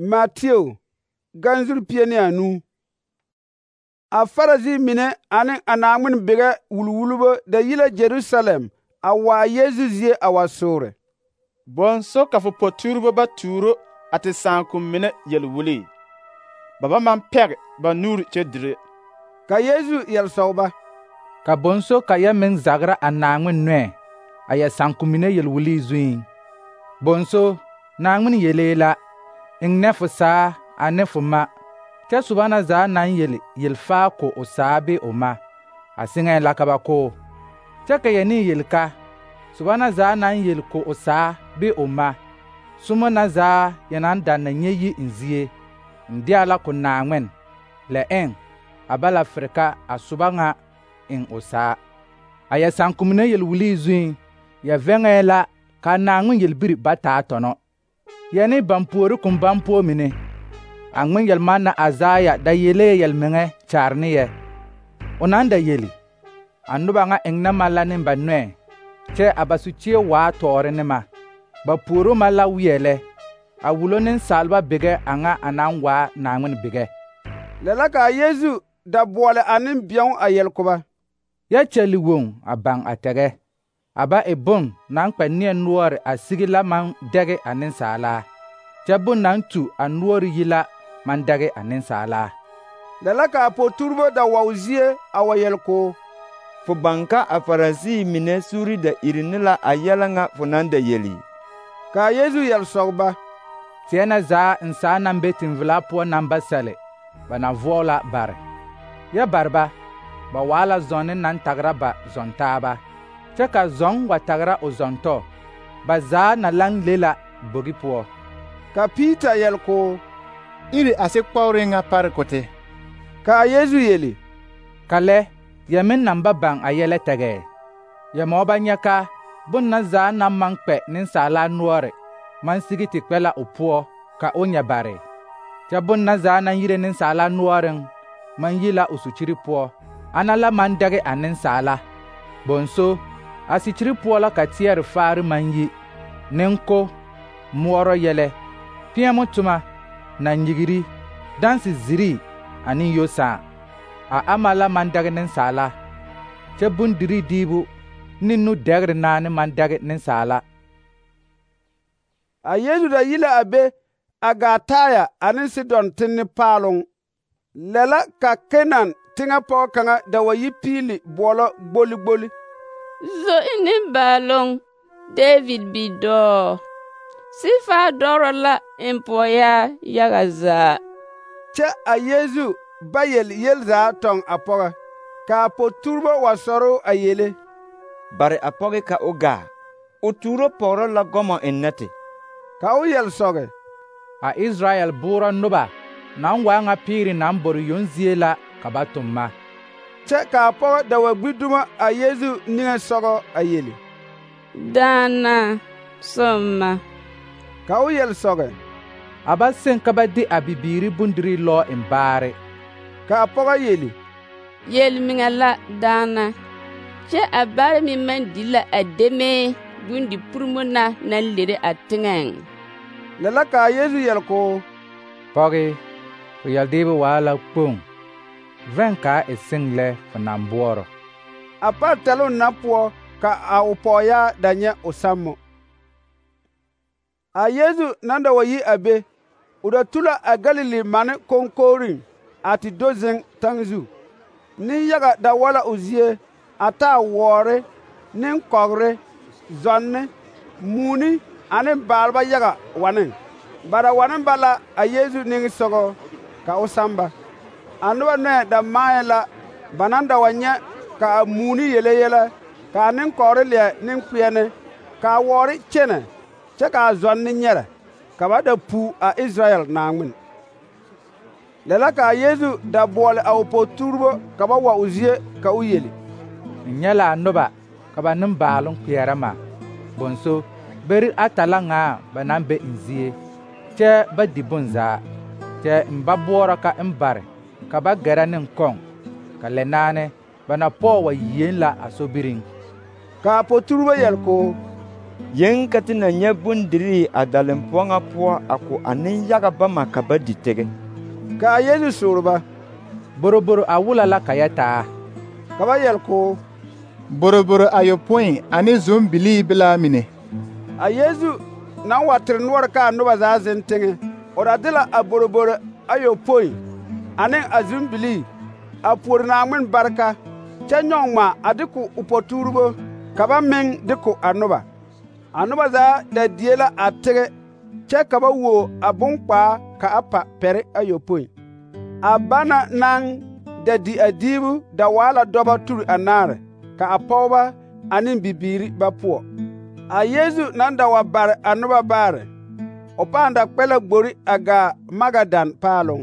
Mateo, ganzuri 15. A Farisi mine ane a Naaŋmen bigɛ wulwulbo da yi la Jerusalem a waa Yesu zie a wa soore. Bõnso ka fo potuurebo ba tuuro a te sããkom mine yel-wulii. Ba ba maŋ pɛge ba nuuri kyɛ dire. Ka Yesu yel-sɔg ba: Ka bõnso ka yɛ meŋ zagra a Naaŋmen nɔɛ a yɛ sããkom mine yel-wulii zuiŋ. Bõnso, Naaŋmen yelee la, eŋ ne fo saa ane fo ma, kyɛ soba na zaa naŋ yel-faa ko o saa bee o ma, a seŋɛɛ la ka ba ko. Kyɛ ka yɛ ne yel-ka, soba na zaa naŋ yel ko o saa bee o ma, sommo na zaa yɛ naŋ danna nyɛ yi n zie, n deɛ la ko Naaŋmen, lɛ eŋ a ba la fere ka a soba ŋa eŋ o saa. A yɛ sããkom mine yel-wulii zuiŋ, yɛ vɛŋɛɛ la ka Naaŋmen yelbiri ba taa tɔnɔ. Yɛ ne baŋ puori koŋ baŋ-poɔ mine, a ŋmen yel-manna Azaya da yelee yel-meŋɛ kyaare ne yɛ. O naŋ da yeli: a noba ŋa eŋnɛ ma la ne ba nɔɛ, kyɛ a ba su-kyeɛ waa tɔɔre ne ma. Ba puoro ma la weɛ lɛ, a wulo nensaalba bigɛ a ŋa a naŋ waa Naaŋmen bigɛ. Lɛ la kaa Yesu da boɔle a nembɛõo a yel ko ba: Yɛ kyɛli woŋ a baŋ a tɛgɛ. A ba e bon naŋ kpɛ neɛ noɔre a sigi la maŋ dɛge a nensaalaa, kyɛ bon naŋ tu a noɔre yi la maŋ dɛge a nensaalaa. Lɛ la kaa poturbo da wa o zie a wa yel koo: Fo baŋ ka a Farisi mine suuri da iri ne la a yɛlɛ ŋa fo naŋ da yeli? Kaa Yesu yel-sɔg ba: Teɛ na zaa n saa naŋ be teŋvelaa poɔ naŋ ba sɛle, ba na voɔ la bare. Yɛ bare ba, ba waa la zɔnne naŋ tagra ba zɔntaaba, kyɛ ka zɔŋ wa tagra o zɔntɔ, ba zaa na laŋ le la bogi poɔ. Ka Piita yel koo: Iri a sikpɔgre ŋa pare kote. Kaa Yesu yeli: Ka lɛ, yɛ meŋ naŋ ba baŋ a yɛlɛ tɛgɛ. Yɛ mɔɔ ba nyɛ ka bon na zaa naŋ maŋ kpɛ nensaalaa noɔre maŋ sigi te kpɛ la o poɔ ka o nyɛ bare. Kyɛ bon na zaa naŋ yire nensaalaa noɔreŋ maŋ yi la o su-kyiri poɔ, ana la maŋ dɛge a nensaala. Bõnso, a sikyiri poɔ la ka teɛre faare maŋ yi, nenko, moɔrɔ yɛlɛ, peɛmo toma, na-nyigiri, danse zirii ane yosãã. A ama la maŋ dɛge nensaala, kyɛ bondirii diibu ne nu-dɛgre naane maŋ dɛge nensaala. A Yesu da yi la a be a gaa Taya ane Sidon tenne paaloŋ. Lɛ la ka Kenan teŋɛ pɔgɔ kaŋa da wa yi piili boɔlɔ gboli-gboli: Zoe nimbaaloŋ, David bidɔɔ, sifaa dɔrɔ la en pɔɔyaa yaga zaa. Kyɛ a Yesu ba yel zaa tɔŋ a pɔgɔ. Kaa poturbo wa sɔrɔ a yele: Bare a pɔge ka o gaa, o tuuro pɔgrɔ la gɔmɔ ennɛ te. Ka o yel-sɔge: A Israɛl boorɔ noba naŋ waa ŋa piiri naŋ bore yoŋ zie la ka ba tʋm ma. Kyɛ kaa pɔgɔ da wa gbi dumo a Yesu niŋesɔgɔ a yeli: Daana, sõmma. Ka o yel-sɔge: A ba seŋ ka ba de a bibiiri bondirii lɔɔ eŋ baare. Ka a pɔgɔ yeli: Yel-miŋɛ la, daana, kyɛ a baare meŋ maŋ di la a demee bondi-purimo na naŋ lere a teŋɛŋ. Lɛ la kaa Yesu yel koo: Pɔge, fo yeldeebe waa la kpoŋ, vɛŋ kaa e seŋ lɛ fo naŋ boɔrɔ. A par tɛloŋ na poɔ ka a o pɔɔyaa da nyɛ o sammo. A Yesu naŋ da wa yi a be, o da tu la a Galili mane koŋkogriŋ a te do zeŋ taŋ zu. Nenyaga da wa la o zie, a taa wɔɔre, nenkɔgre, zɔnne, muuni ane baalba yaga waneŋ. Ba da wane ba la a Yesu niŋesɔgɔ ka o sãã ba. A noba nɔɛ da maayɛ la ba naŋ da wa nyɛ ka a muuni yele yɛlɛ, ka a nenkɔgre leɛ neŋkpeɛne, ka a wɔɔre kyɛnɛ, kyɛ ka a zɔnne nyɛrɛ, ka ba da pu a Israɛl Naaŋmen. Lɛ la kaa Yesu da boɔle a o poturbo ka ba wa o zie ka o yeli: N nyɛ la a noba ka ba nembaaloŋ kpeɛrɛ ma. Bõnso, beri ata la ŋaa ba naŋ be n zie, kyɛ ba di bonzaa. Kyɛ n ba boɔrɔ ka n bare ka ba gɛrɛ ne kɔŋ, ka lɛ naane ba na pɔɔ wa yien la a sobiriŋ. Kaa poturbo yel koo: Yeŋ ka te na nyɛ bondirii a dalempoɔ ŋa poɔ a ko a nenyaga bama ka ba di tege. Ka a Yeezu soore ba: boroboro a wula la ka yɛ taa? Ka ba yɛle k'o: boroboro ayopõi ane zombilii belaa mine. A Yeezu naŋ wa tere noɔre ka a noba zaa zeŋ teŋɛ, o da de la a boroboro ayopõi ane a zombilii a puori Naaŋmen bareka, kyɛ nyɔge ŋma a de ko o pɔtuuribo ka ba meŋ de ko a noba. A noba zaa da die la a tege, kyɛ ka ba wuo a bonkpaa ka a pa pɛre ayopõi. A bana naŋ da di a diibu da waa la dɔbɔ turi anaare, ka a pɔgeba ane bibiiri ba poɔ. A Yeezu naŋ da wa bare a noba baare, o pãã da kpɛ la gbori a gaa Magadan paaloŋ.